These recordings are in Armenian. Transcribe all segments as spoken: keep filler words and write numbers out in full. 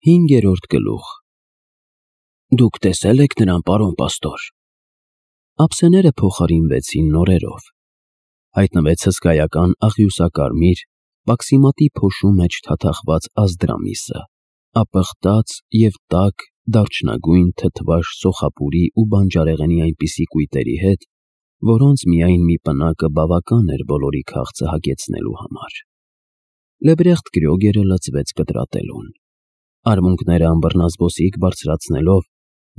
Հինգերորդ գլուխ։ Դուք տեսե՞լ եք նրան, պարոն պաստոր։ Ափսեները փոխարինվեցին նորերով։ Հայտնվեց հսկայական աղյուսակարմիր, պաքսիմատի փոշու մեջ թաթախված Ազդրամիսը, ապխտած և տաք, դարչնագույն թթվաշ սոխապուրի ու բանջարեղենի այնպիսի կույտերի հետ, որոնց միայն մի պնակը բավական էր բոլորի քաղցը հագեցնելու համար։ Լեբրեխտ Կրյոգերը լծվեց կտրատելուն։ Արմունկները ըմբռնազբոսիկ բարձրացնելով,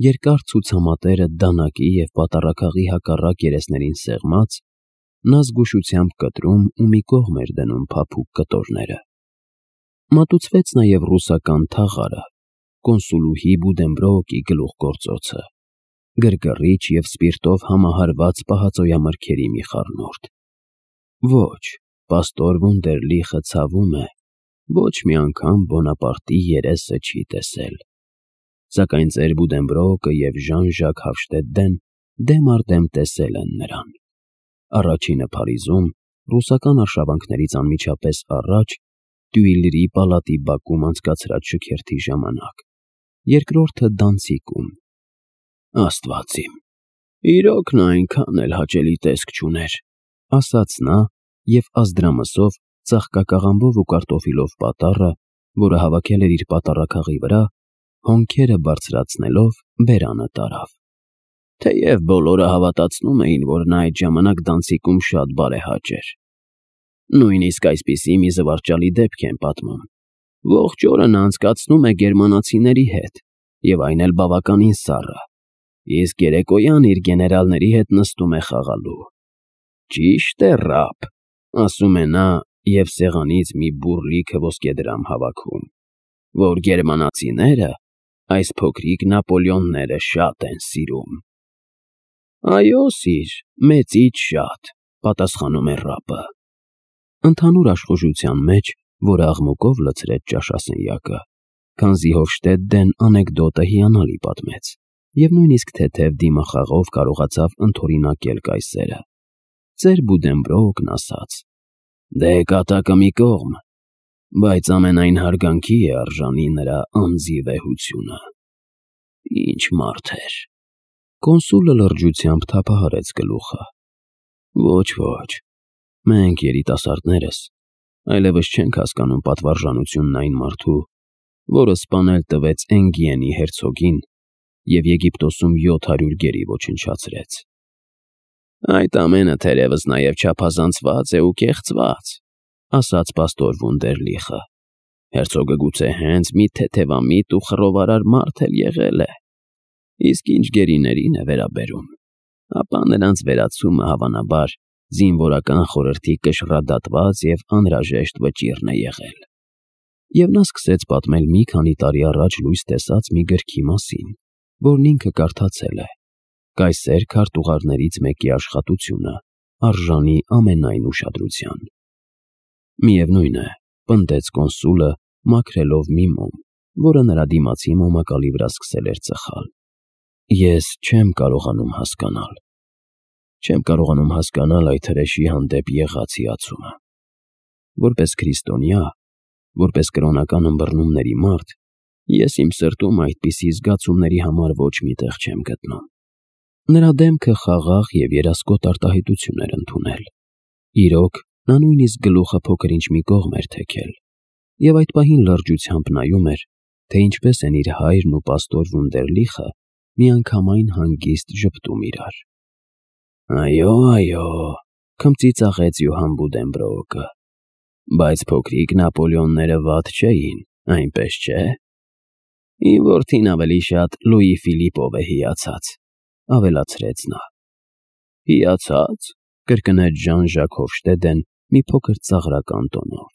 երկար ցուցամատերը դանակի և պատառաքաղի հակառակ երեսներին սեղմած, նա զգուշությամբ կտրում ու մի կողմ էր դնում փափուկ կտորները։ Մատուցվեց նաև ռուսական թաղարը, կոնսուլուհի Բուդենբրոուկի գլուխգործոցը, գրգռիչ և սպիրտով համահարված պահածոյամրգերի մի խառնուրդ։ Ոչ, պաստոր Վունդերլիխը ցավում է, ոչ մի անգամ Բոնապարտի երեսը չի տեսել։ Սակայն ծեր Բուդենբրոուկը և Ժան-Ժակ Հաֆշտեդեն դեմ առ դեմ տեսել են նրան։ Առաջինը Փարիզում, ռուսական արշավանքներից անմիջապես առաջ, Տյուիլրի պալատի բակում անցկացրած շքերթի ժամանակ, երկրորդը Դանցիկում։ Աստված իմ, իրոք նա այնքան էլ հաճելի տեսք չուներ, ասաց նա և Ազդրամսով, ծաղկակաղամբով ու կարտոֆիլով պատառը, որը հավաքել էր իր պատառաքաղի վրա, հոնքերը բարձրացնելով բերանը տարավ։ Թեև բոլորը հավատացնում էին, որ նա այդ ժամանակ Դանցիկում շատ բարեհաճ էր։ Նույնիսկ այսպիսի մի զվարճալի դեպք են պատմում. ողջ օրը նա անցկացնում է գերմանացիների հետ, և այն էլ բավականին սառը, իսկ երեկոյան իր գեներալների հետ նստում է խաղալու։ Ճիշտ է, ռաբ, ասում է նա և սեղանից մի բուռ լիքը ոսկեդրամ հավաքում, որ գերմանացիները այս փոքրիկ Նապոլեոնները շատ են սիրում։ Այո, սիր, մեծից շատ, պատասխանում է ռաբը։ Ընդհանուր աշխուժության մեջ, որը աղմուկով լցրեց ճաշասենյակը, քանզի Հոֆշտեդեն անեկդոտը հիանալի պատմեց և նույնիսկ թեթև դիմախաղով կարողացավ ընդօրինակել կայսերը, ծեր Բուդենբրոուկն ասաց. «Դե կատակը մի կողմ, բայց ամենայն հարգանքի է արժանի նրա անձի վեհությունը։ Ինչ մարդ էր»։ Կոնսուլը լրջությամբ թափահարեց գլուխը։ Ոչ, ոչ, մենք երիտասարդներս այլևս չենք հասկանում պատվարժանությունն այն մարդու, որը սպանել տվեց Էնգիենի հերցոգին և Եգիպտոսում յոթ հարյուր գերի ոչնչացրեց։ Այդ ամենը թերևս նաև չափազանցված է ու կեղծված, ասաց պաստոր Վունդերլիխը։ Հերցոգը գուցե հենց մի թեթևամիտ ու խռովարար մարդ էլ եղել է։ Իսկ ինչ գերիներին է վերաբերում, ապա նրանց վերացումը հավանաբար զինվորական խորհրդի կշռադատված և անհրաժեշտ վճիռն է եղել։ Եվ նա սկսեց պատմել մի քանի տարի առաջ լույս տեսած մի գրքի մասին, որն ինքը կարդացել է, կայսեր քարտուղարներից մեկի աշխատությունը, արժանի ամենայն ուշադրության։ Միևնույն է, պնդեց կոնսուլը, մաքրելով մի մոմ, որը նրա դիմացի մոմակալի վրա սկսել էր ծխալ։ Ես չեմ կարողանում հասկանալ։ Չեմ կարողանում հասկանալ այդ հրեշի հանդեպ եղած հիացումը։ Որպես քրիստոնյա, որպես կրոնական ըմբռնումների մարդ, ես իմ սրտում այդպիսի զգացումների համար ոչ մի տեղ չեմ գտնում։ Նրա դեմքը խաղաղ և երասկոտ արտահայտություն էր ընդունել։ Իրոք, նա նույնիսկ գլուխը փոքր-ինչ մի կողմ էր թեքել, և այդ պահին լրջությամբ նայում էր, թե ինչպես են իր հայրն ու պաստոր Վունդերլիխը միանգամայն հանգիստ ժպտում իրար։ Այո, այո, քմծիծաղեց Յոհան Բուդենբրոուկը, բայց փոքրիկ Նապոլեոնները վատ չէին, այնպես չէ։ Իմ որդին ավելի շատ Լուի Ֆիլիպով է հիացած, ավելացրեց նա։ Հիացա՞ծ, կրկնեց Ժան-Ժակ Հոֆշտեդեն մի փոքր ծաղրական տոնով։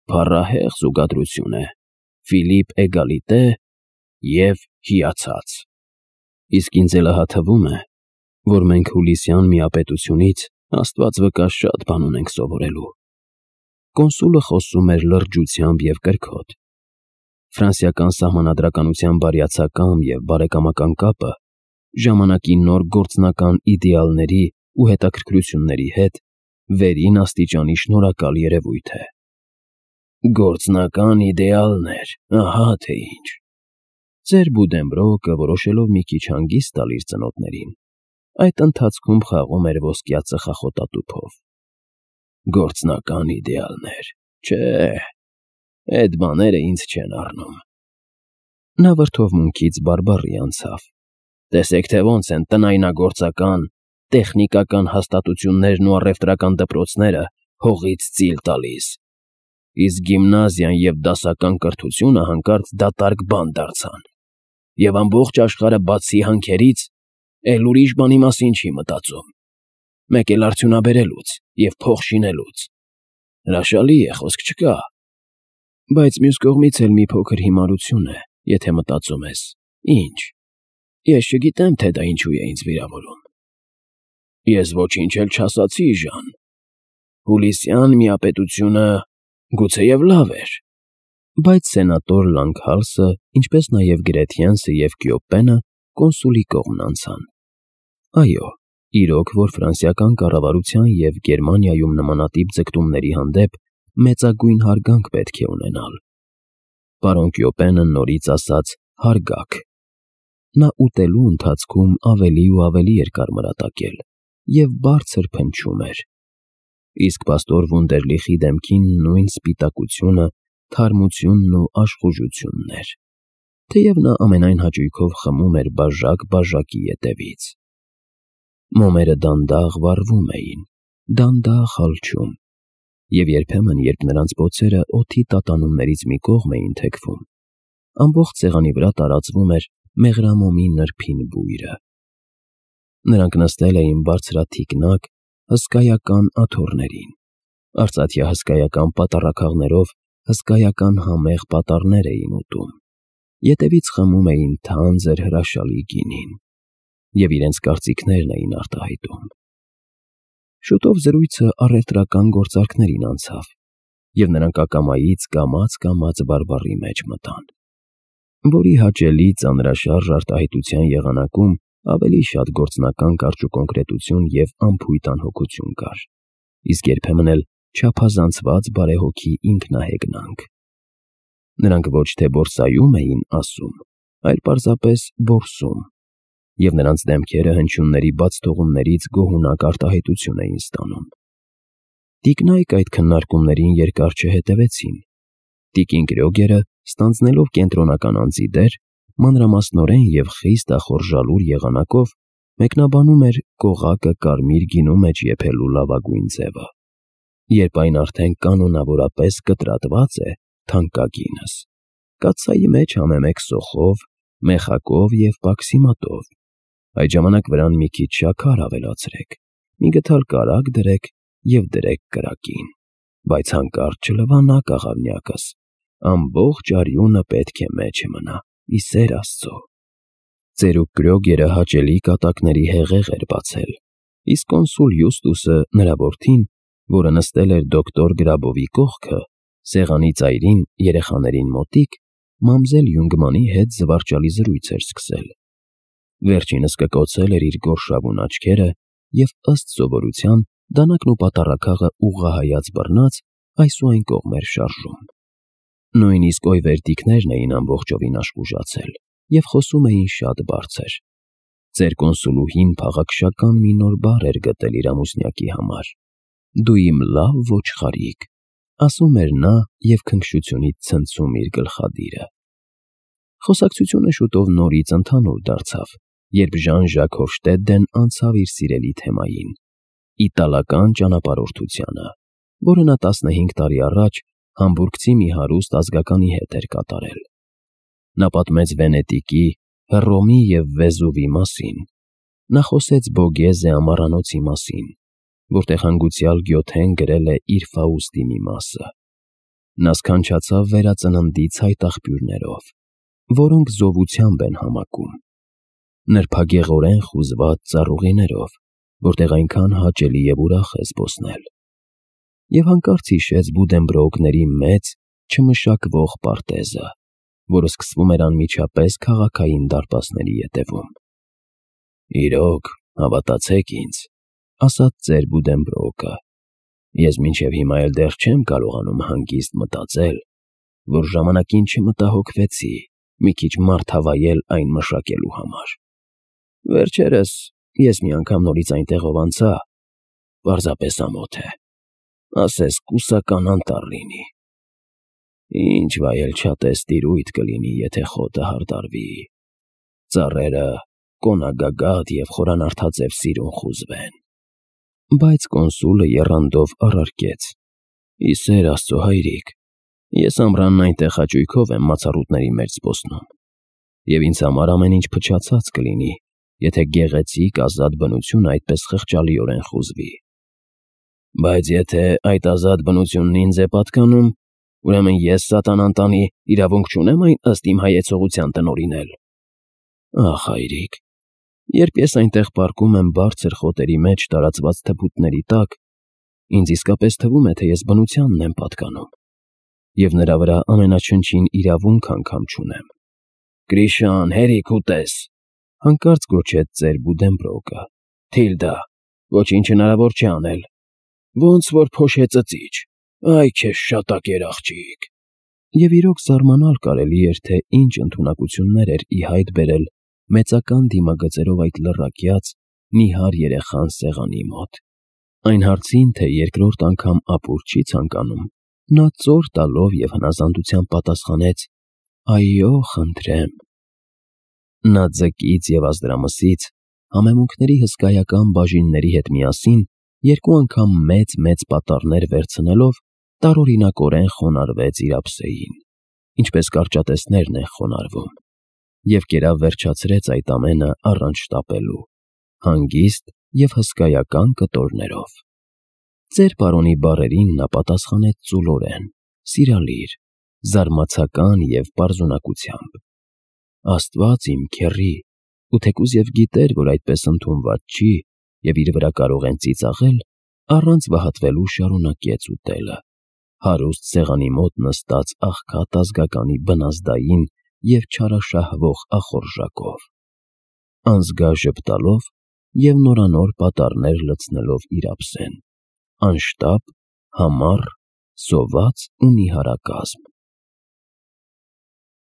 Փառահեղ զուգադրություն է, Ֆիլիպ էգալիտե և հիացած։ Իսկ ինձ էլ ահա թվում է, որ մենք հուլիսյան միապետությունից Աստված վկա շատ բան ունենք սովորելու։ Կոնսուլը խոսում էր լրջությամբ և կրքոտ։ Ֆրանսիական սահմանադրականության բարյացակամ և բարեկամական կապը ժամանակի նոր գործնական իդեալների ու հետաքրքրությունների հետ վերին աստիճանի շնորհակալ երևույթ է։ Գործնական իդեալներ, ահա թե ինչ։ Ծեր Բուդենբրոկը, որոշելով մի քիչ հանգիստ տալ իր ծնոտներին, այդ ընթացքում խաղում էր ոսկյա ծխախոտատուփով։ Գործնական իդեալներ, չէ, այդ բաները ինձ չեն առնում։ Նա վրդովմունքից բարբառի անցավ։ Տեսեք, թե ոնց են տնայնագործական, տեխնիկական հաստատություններն ու առևտրական դպրոցները հողից ծիլ տալիս, իսկ գիմնազիան և դասական կրթությունը հանկարծ դատարկ բան դարձան, և ամբողջ աշխարհը բացի հանքերից, էլ ուրիշ բանի մասին չի մտածում, մեկ էլ արդյունաբերելուց և փող շինելուց։ Հրաշալի է, խոսք չկա, բայց մյուս կողմից էլ մի փոքր հիմարություն է, եթե մտածում ես. ինչ, ես չգիտեմ, թե դա ինչու է ինձ վիրավորում։ Ես ոչինչ էլ չասացի, Ժան, Հուլիսյան միապետությունը գուցեև լավ էր։ Բայց սենատոր Լանգհալսը, ինչպես նաև Գրեթյենսը և Կյոպենը կոնսուլի կողմն անցան։ Այո, իրոք, որ ֆրանսիական կառավարության և Գերմանիայում նմանատիպ ձգտումների հանդեպ մեծագույն հարգանք պետք է ունենալ։ Պարոն Կյոպենը նորից ասաց «հարգակ»։ Նա ուտելու ընթացքում ավելի ու ավելի էր կարմրատակել և բարձր փնչում էր, իսկ պաստոր Վունդերլիխի դեմքին նույն սպիտակությունը, թարմությունն ու աշխուժությունն էր, թեև նա ամենայն հաճույքով խմում էր բաժակ֊բաժակի ետևից։ Մոմերը դանդաղ վառվում էին, դանդաղ հալչում, և երբեմն, երբ նրանց բոցերը օդի տատանումներից մի կողմ էին թեքվում, ամբողջ սեղանի վրա տարածվում էր մեղրամոմի նրբին բույրը։ Նրանք նստել էին բարձրաթիկնակ, հսկայական աթոռներին, արծաթյա հսկայական պատառաքաղներով հսկայական համեղ պատառներ էին ուտում, ետևից խմում էին թանձր հրաշալի գինին և իրենց կարծիքներն էին արտահայտում։ Շուտով զրույցը առևտրական գործարքներին անցավ, և նրանք ակամայից կամաց֊կամաց բարբառի մեջ մտան, որի հաճելի ծանրաշարժ արտահայտության եղանակում ավելի շատ գործնական կարճուկոնկրետություն և անփույթ անհոգություն կար, իսկ երբեմն էլ չափազանցված բարեհոգի ինքնահեգնանք։ Նրանք ոչ թե բորսայում էին ասում, այլ պարզապես որսում, և նրանց դեմքերը հնչյունների բաց թողումներից գոհունակ արտահայտություն էին ստանում։ Տիկնայք այդ քննարկումներին երկար չհետևեցին։ Տիկին Կրյոգերը, ստանձնելով կենտրոնական անձի դեր, մանրամասնորեն և խիստ ախորժալուր եղանակով մեկնաբանում էր կողակը կարմիր գինու մեջ եփելու լավագույն ձևը, երբ այն արդեն կանոնավորապես կտրատված է, թանկագինս, կաթսայի մեջ համեմեկ սոխով, մեխակով և պաքսիմատով, այդ ժամանակ վրան մի քիչ շաքար ավելացրեք, մի գդալ կարագ դրեք և դրեք կրակին, բայց հանկարծ չլվանա կաղավնյակս, ամբողջ արյունը պետք է մեջը մնա, ի սեր Աստծո։ Ծերուկ Կրյոգերը հաճելի կատակների հեղեղ էր բացել, իսկ կոնսուլ Յուստուսը նրա որդին, որը նստել էր դոկտոր Գրաբովի կողքը, սեղանի ծայրին երեխաներին մոտիկ, մամզել Յունգմանի հետ զվարճալի զրույց էր սկսել։ Վերջինս կկոցել էր իր գորշավուն աչքերը և, ըստ սովորության, դանակն ու պատառաքաղը ուղղահայաց բռնած, այս ու այն կողմ էր շարժում։ Նույնիսկ օյվերտիկներն էին ամբողջովին աշխուժացել և խոսում էին շատ բարձր։ Ծեր կոնսուլուհին փաղաքշական մի նոր բառ էր գտել իր ամուսնյակի համար. «Դու իմ լավ ոչխարիկ», ասում էր նա և քնքշությունից ցնցում իր գլխադիրը։ Խոսակցությունը շուտով նորից ընդհանուր դարձավ, երբ Ժան-Ժակ Հոֆշտեդեն անցավ իր սիրելի թեմային՝ իտալական ճանապարհորդությանը, որը նա տասնհինգ տարի առաջ համբուրգցի մի հարուստ ազգականի հետ էր կատարել։ Նա պատմեց Վենետիկի, Հռոմի և Վեզուվի մասին։ Նա խոսեց Բոգեզե ամառանոցի մասին, որտեղ հանգուցյալ Գյոթեն գրել է իր Ֆաուստի մի մասը։ Նա սքանչացավ վերածննդի ցայտաղբյուրներով, որոնք զովությամբ են համակում, նրբագեղորեն խուզված ծառուղիներով, որտեղ այնքան հաճելի և ուրախ է զբոսնել, և հանկարծ հիշեց Բուդենբրոկների մեծ, չմշակվող պարտեզը, որը սկսվում էր անմիջապես քաղաքային դարպասների ետևում։ «Իրոք, հավատացեք ինձ», ասաց ծեր Բուդենբրոկը, Ես մինչև հիմա էլ դեռ չեմ կարողանում հանգիստ մտածել, որ ժամանակին չմտահոգվեցի մի քիչ մարդ հավայել այն մշակելու համար։ Վերջերս ես մի անգամ նորից այնտեղով անցա, պարզապես ամոթ է, ասես կուսական անտառ լինի։ Ինչ վայելչատես տիրույթ կլինի, եթե խոտը հարդարվի, ծառերը կոնագագաթ և խորանարդաձև սիրուն խուզվեն։ Բայց կոնսուլը եռանդով առարկեց. «Ի սեր Աստծո, հայրիկ, ես ամռանն այնտեղ հաճույքով եմ մացառուտների մեջ զբոսնում, և ինձ համար ամեն ինչ փչացած կլինի, եթե գեղեցիկ ազատ բնությունը այդպես խղճալիորեն խուզվի։ Բայց եթե այդ ազատ բնությունն ինձ է պատկանում, ուրեմն ես սատանան տանի իրավունք չունե՞մ այն ըստ իմ հայեցողության տնօրինել։ Ախ, հայրիկ, երբ ես այնտեղ պառկում եմ բարձր խոտերի մեջ տարածված թփուտների տակ, ինձ իսկապես թվում է, թե ես բնությանն եմ պատկանում, և նրա վրա ամենաչնչին իրավունք անգամ չունեմ»։ «Գրիշան, հերիք ուտես», հանկարծ գոչեց ծեր Բուդենբրոկը։ «Թիլդա, ոչինչ հնարավոր չէ անել, ոնց որ փոշե ծծիչ, այ քեզ շատակեր աղջիկ»։ Եվ իրոք զարմանալ կարելի էր, թե ինչ ընդունակություններ էր ի հայտ բերել մեծական դիմագծերով այդ լռակյաց, նիհար երեխան սեղանի մոտ։ Այն հարցին, թե երկրորդ անգամ ապուր չի ցանկանում, նա ծոր տալով և հնազանդությամբ պատասխանեց. «Այո, խնդրեմ»։ Նա ձկից և ազդրամսից, համեմունքների հսկայական բաժինների հետ միասին, երկու անգամ մեծ-մեծ պատառներ վերցնելով, տարօրինակորեն խոնարհվեց իր ափսեին, ինչպես կարճատեսներն են խոնարհվում, և կերավ վերջացրեց այդ ամենը առանց շտապելու, հանգիստ և հսկայական կտորներով։ Ծեր պարոնի բառերին նա պատասխանեց ծուլորեն, սիրալիր, զարմացական և պարզունակությամբ։ Աստված իմ քեռի, ու թեկուզ և գիտեր, որ այդպես ընդունված չի և իր վրա կարող են ծիծաղել, առանց վհատվելու շարունակեց ուտելը, հարուստ սեղանի մոտ նստած աղքատ ազգականի բնազդային և չարաշահվող ախորժակով, անզգա ժպտալով և նորանոր պատառներ լցնելով իր ափսեն, անշտապ, համառ, սոված ու նիհարակազմ։